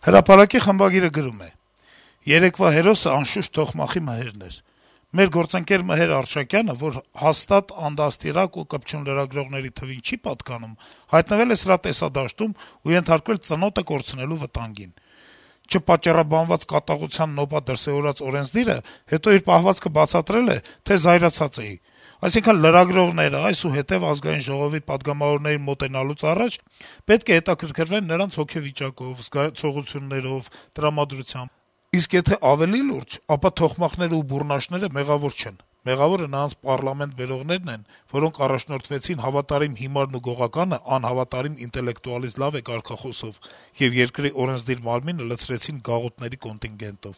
Հրապարակի խմբագիրը գրում է. - «Երեկվա հերոսը անշուշտ Թոխմախի Մհերն էր: Մեր գործընկեր Մհեր Արշակյանը, որ հաստատ անդաստիարակ ու կպչուն լրագրողների թվին չի պատկանում, հայտնվել է սրա տեսադաշտում ու ենթարկվել ծնոտը կորցնելու վտանգին: Չպատճառաբանված կատաղության նոպա դրսեւորած օրենսդիրը հետո իր պահվածքը բացատրել է, թե զայրացած էի: Այսինքն` լրագրողները այսուհետեւ Ազգային ժողովի պատգամավորներին մոտենալուց առաջ պետք է հետաքրքրվեն նրանց հոգեվիճակով, զգացողություններով, տրամադրությամբ: Իսկ եթե ավելի լուրջ, ապա թոխմախները ու բուռնաշները մեղավոր չեն: Մեղավորը նրանց պառլամենտ բերողներն են, որոնք առաջնորդվեցին հավատարիմ հիմարն ու գողականը անհավատարիմ ինտելեկտուալից լավ է կարգախոսով եւ երկրի օրենսդիր մարմինը լցրեցին գաղութների կոնտինգենտով»: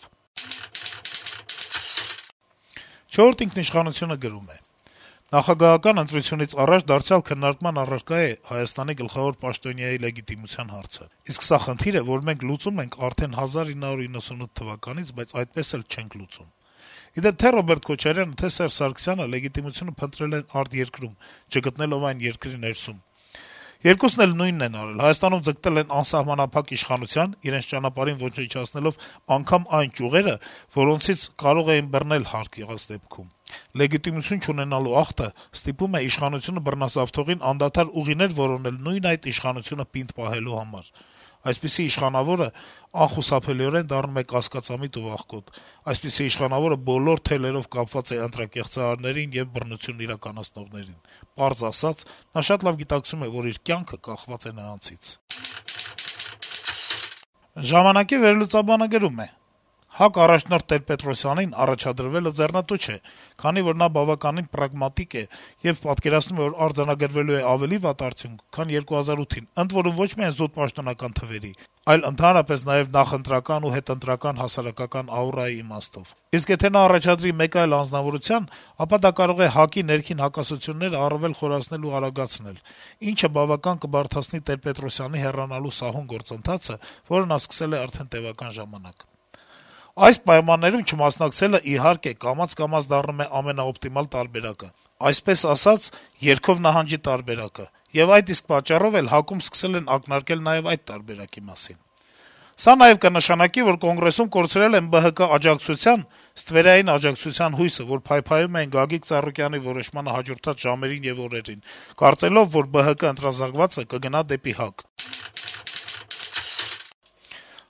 «Չորրորդ ինքնիշխանություն»-ը գրում է. - «Նախագահական ընտրությունից առաջ դարձյալ քննարկման առարկա է Հայաստանի գլխավոր պաշտոնյայի լեգիտիմության հարցը: Իսկ սա խնդիր է, որ մենք լուծում ենք արդեն 1998 թվականից, բայց այդպես էլ չենք լուծում: Ի դեպ, թե Ռոբերտ Քոչարյանը, թե Սերժ Սարգսյանը լեգիտիմությունը փնտրել են արտերկրում, չգտնելով այն երկրի ներսում: Երկուսն էլ նույնն են արել: Հայաստանում ձգտել են անսահմանափակ իշխանության` իրենց ճանապարհին ոչնչացնելով անգամ այն ճյուղերը, որոնցից կարող էին բռնել հարկ եղած դեպքում: Լեգիտիմություն չունենալու ախտը ստիպում է իշխանությունը բռնազավթողին անդադար ուղիներ որոնել նույն այդ իշխանությունը պինդ պահելու համար: Այսպիսի իշխանավորը անխուսափելիորեն դառնում է կասկածամիտ ու վախկոտ: Այսպիսի իշխանավորը բոլոր թելերով կապված է ընտրակեղծարարներին եւ բռնություն իրականացնողներին: Պարզ ասած` նա շատ լավ գիտակցում է, որ իր կյանքը կախված է նրանցից»: «Ժամանակ»-ի վերլուծաբանը գրում է. - «ՀԱԿ առաջնորդ Տեր-Պետրոսյանին առաջադրվելը ձեռնտու չէ, քանի որ նա բավականին պրագմատիկ է եւ պատկերացնում է, որ արձանագրվելու է ավելի վատ արդյունք, քան 2008-ին, ընդ որում ոչ միայն զուտ պաշտոնական թվերի, այլ ընդհանրապես նաեւ նախընտրական ու հետընտրական հասարակական աուրայի իմաստով: Իսկ եթե նա առաջադրի մեկ այլ անձնավորության, ապա դա կարող է ՀԱԿ-ի ներքին հակասությունները առավել խորացնել ու արագացնել, ինչը բավական կբարդացնի Տեր-Պետրոսյանի հեռանալու սահուն գործընթացը, որը նա սկսել է արդեն տեւական ժամանակ: Այս պայմաններում չմասնակցելը, իհարկե, կամաց-կամաց դառնում է ամենաօպտիմալ տարբերակը, այսպես ասած, երգով նահանջի տարբերակը, եւ այդ իսկ պատճառով էլ ՀԱԿ-ում սկսել են ակնարկել նաեւ այդ տարբերակի մասին: Սա նաեւ կնշանակի, որ Կոնգրեսում կորցրել են ԲՀԿ աջակցության, ստվերային աջակցության հույսը, որ փայփայում էին Գագիկ Ծառուկյանի որոշմանը հաջորդած ժամերին եւ օրերին, կարծելով, որ ԲՀԿ ընտրազանգվածը կգնա դեպի ՀԱԿ»: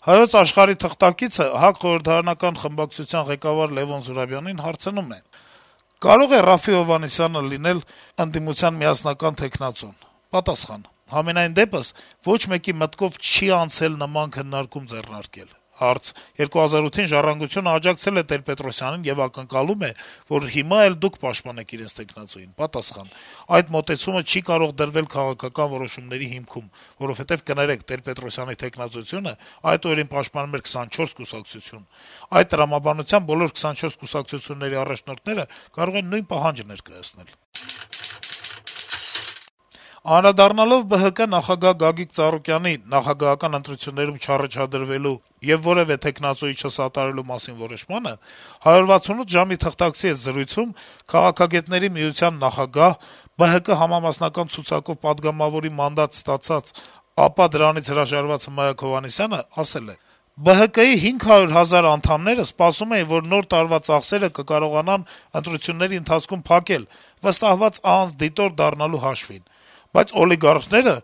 «Հայոց Աշխարհ»-ի թղթակիցը ՀԱԿ խորհրդարանական խմբակցության ղեկավար Լեւոն Զուրաբյանին հարցնում է. - «Կարո՞ղ է Րաֆֆի Հովհաննիսյանը լինել ընդդիմության միասնական թեկնածուն»: Պատասխան. - «Համենայն դեպս, ոչ մեկի մտքով չի անցել նման քննարկում ձեռնարկել»: Հարց. - «2008-ին «Ժառանգությունը» աջակցել է Տեր-Պետրոսյանին եւ ակնկալում է, որ հիմա էլ դուք պաշտպանեք իրենց թեկնածուին»: Պատասխան. - «Այդ մոտեցումը չի կարող դրվել քաղաքական որոշումների հիմքում, որովհետեւ, կներեք, Տեր-Պետրոսյանի թեկնածությունը այդ օրերին պաշտպանում էր 24 կուսակցություն: Այդ տրամաբանությամբ բոլոր 24 կուսակցությունների առաջնորդները կարող են նույն պահանջը ներկայացնել»: Անդրադառնալով ԲՀԿ նախագահ Գագիկ Ծառուկյանի նախագահական ընտրություններում չառաջադրվելու եւ որեւէ թեկնածուի չսատարելու մասին որոշմանը, «168 ժամ»-ի թղթակցի հետ զրույցում Քաղաքագետների միության նախագահ, ԲՀԿ համամասնական ցուցակով պատգամավորի մանդատ ստացած, ապա դրանից հրաժարված Հմայակ Հովհաննիսյանը ասել է. - «ԲՀԿ-ի 500 հազար անդամները սպասում էին, որ Նոր տարվա ծախսերը կկարողանան ընտրությունների ընթացքում փակել` վստահված անձ, դիտորդ դառնալու հաշվին: Բայց օլիգարխները,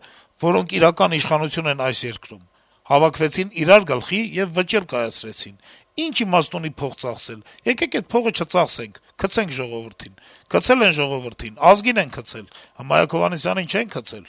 որոնք իրական իշխանություն են այս երկրում, հավաքվեցին իրար գլխի եւ վճիռ կայացրեցին. ինչ իմաստ ունի փող ծախսել, եկեք էդ փողը չծախսենք, գցենք ժողովրդին: Գցել են ժողովրդին, ազգին են գցել, Հմայակ Հովհաննիսյանին չեն գցել»: